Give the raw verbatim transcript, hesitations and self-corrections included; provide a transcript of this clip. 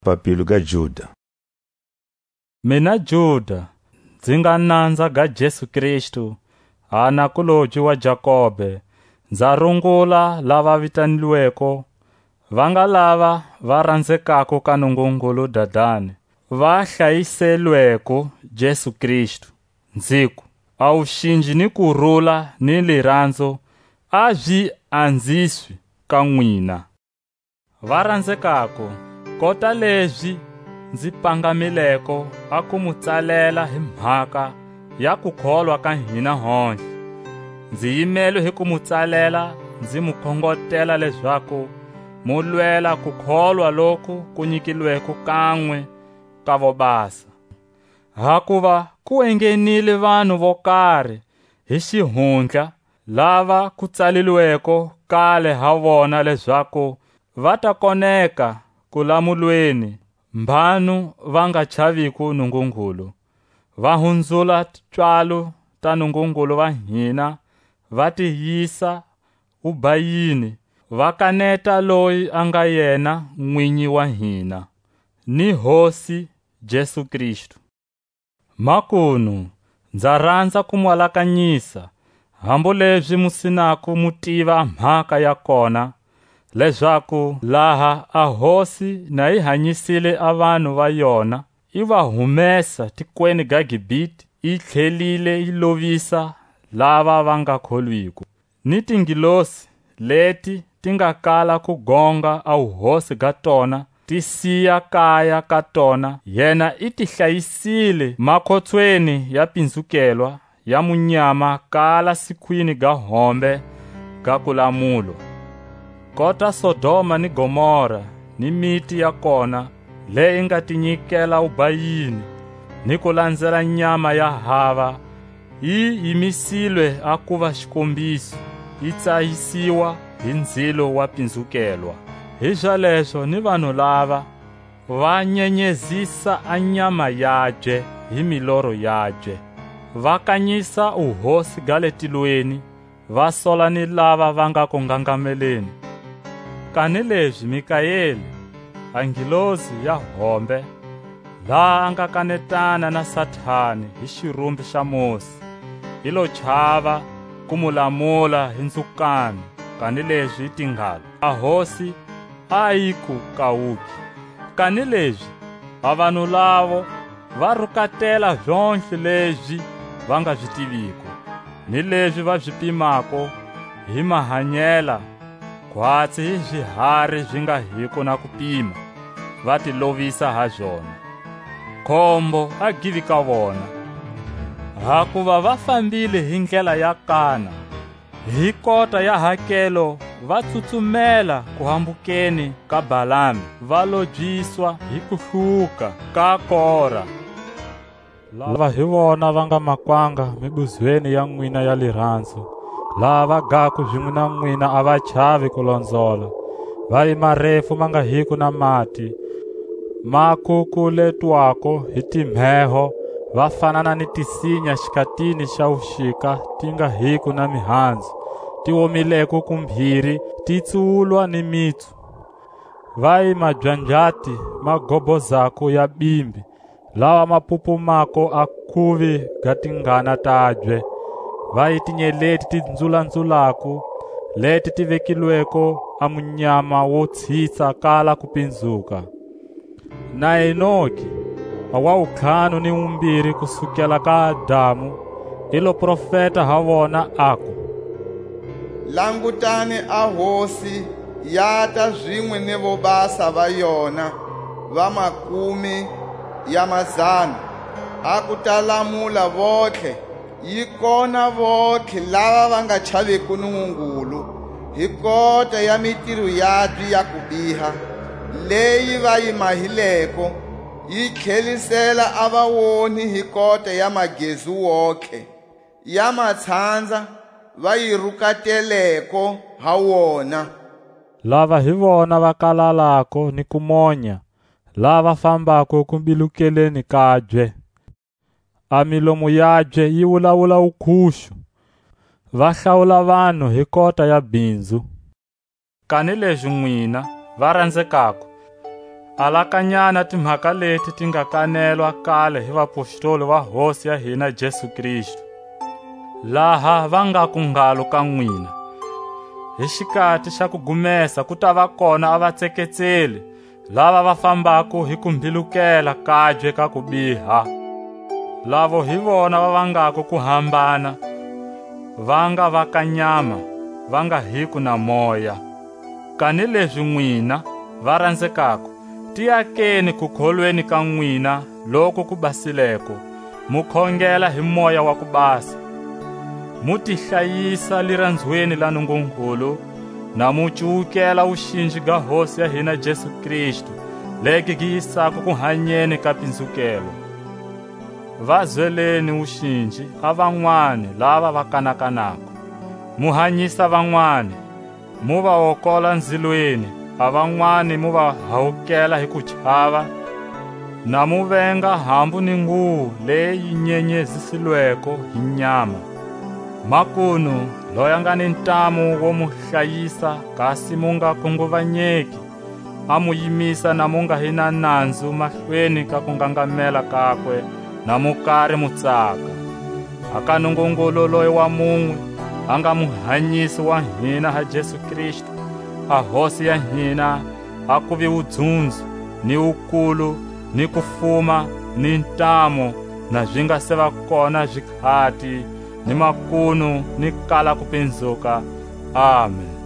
Papilo ga Juda. Mina Juda, nzi nga nanza ga Jesu Kristu, a nakulobye wa Jakobe, nza rungula lava vitanilweko, va nga lava va ranzekako ka Nungungulu Dadani, va hlayiselweko Jesu Kristu. Nziku, a wuxinji ni kurula ni liranzo a zi anziswi ka nwina. Va ranzekako, kota lezi nzi pangamileko a ku mu tsalela hi mhaka ya kukholwa ka hina hontlhe. Nzi yimelwe hi ku mu tsalela, nzi mu khongotela lezaku mu lwela kukholwa loku ku nyikilweko kanwe ka vobasa. Hakuva ku enghenile vanhu vo kari hi xihundla, lava ku tsalilweko kale ha vona lezaku va ta koneka ku lamulweni, mbhanu va nga chaviko Nungungulu, va hunzula pswalo ta Nungungulu va hina, va ti yisa wubayini, va kaneta loyi a nga yena Nwinyi wa hina, ni Hosi Jesu Kristu. Makunu, nza ranza ku mu alakanyisa, hambu lezi mu sinako mu tiva a mhaka ya kona, lezaku laha a Hosi na yi hanyisile a vanhu va yona, i va humesa tikweni ga Gibite, i tlhelile yi lovisa lava va nga kholwiko. Ni tingilosi leti ti nga kala ku gonga a wuhosi ga tona, ti siya kaya ka tona, yena i ti hlayisile makhotsweni ya pinzukelwa ya munyama kala sikhwini ga hombe ga kulamulwa. Kota Sodoma ni Gomora ni miti ya kona, leyi nga ti nyikela wubayini ni ku lanzela nyama ya hava, yi yimisilwe a kuva xikombiso, yi tsayisiwa hi ndzilo wa pinzukelwa. Hizalezo ni vanhu lava va nyenyezisa a nyama yabye hi miloro yabye, va kanyisa wuhosi ga le tilweni, va sola ni lava va nga ku ngangameleni. Kanilezi Mikaeli, a ngilozi ya hombe, laha a nga kanetana na Satani hi xirumbi xa Mosi, i lo chava ku mu lamula hi nzukano, kanilezi i te ngalo: A Hosi a yi ku kawuki. Kanilezi a vanhu lavo va rukatela zontlhe lezi va nga zi tiviko, ni lezi va zi pimako hi mahanyela, khwatsi hi zihari zi nga hiko na kupima, va ti lovisa ha zona. Khombo a givi ka vona, hakuva va fambile hi ndlela ya kana, hi kota ya hakelo va tsutsumela ku hambukeni ka Balami, va lobyiswa hi kuhluka ka Kora. Lava hi vona va nga makwanga mibuzweni ya nwina ya liranzo, lava gako zinwe na nwina a va chavi ku lonzola, va yi marefu ma nga hiko na mati, ma kukuletwako hi timheho, va fanana ni tisinya xikatini xa wuxika ti nga hiko na mihanzu, ti womileko ku mbhiri, ti tsuwulwa ni mitsu. Va yi mabyanjati ma gobozako ya bimbi, lawa ma pupumako a kuvi ga tingana tabye, va yi tinyeleti ti nzulanzulako, leti ti vekilweko a munyama wo tshitsa kala ku pinzuka. Na Enoki, a wa wuntlhanu ni wumbiri ku sukela ka Adamu, i lo profeta ha vona, aku: Langutani, a Hosi yata zinwe ni vobasa va yona va makumi ya mazana, a ku ta lamula vontlhe, yi kona vontlhe lava va nga chaviko Nungungulu, hi kota ya mitiro yabye ya kubiha, leyi va yi mahileko, yi tlhelisela a vaonhi hi kota ya magezu wontlhe, ya matshandza va yi rukateleko ha wona. Lava hi vona va kalalako ni ku monya, lava fambako ku mbilukeleni kabye. A milomo yabye yi wulawula wukhuxu, va hlawula vanhu hi kota ya bhinzu. Kanilezi nwina, va ranzekako, Alakanyani a timhaka leti ti nga kanelwa kale hi vapostoli va Hosi ya hina Jesu Kristu, laha va ngaku ngalo ka nwina: Hi xikati xa kugumesa ku tava kona a vatseketseli, lava va fambako hi ku mbilukela kabye ka kubiha, lavo hi vona va vangako ku hambana, va nga va ka nyama, va nga hiko na moya. Kanilezi nwina, va ranzekako, tiyakeni kukholweni ka nwina loku ku basileko, mu khongela hi Moya wa ku Basa, mu ti hlayisa liranzweni la Nungungulu, na mu cuwukela wuxinji ga Hosi ya hina Jesu Kristu, legi gi yisako kuhanyeni ka pinzukelo. Va zweleni wuxinji a vanwani lava va kanakanako, mu hanyisa vanwani, mu va wokola nzilweni, a vanwani mu va hawukela hi kuchava, na mu venga hambu ni nguwo leyi yi nyenyezisilweko hi nyama. Makunu, loyi a nga ni ntamu wo mu hlayisa, kasi mu nga khunguvanyeki, a mu yimisa na mu nga hi na nanzu mahlweni ka kungangamela kakwe, na mu kari mu tsaka. A ka Nungungulu loyi wa munwe, a nga Muhanyisi wa hina ha Jesu Kristu, a Hosi ya hina, a kuvi wudzunzo, ni wukulu, ni kufuma, ni ntamu, na zi nga se va kona zikhati, ni makunu, ni kala kupinzuka. Amen.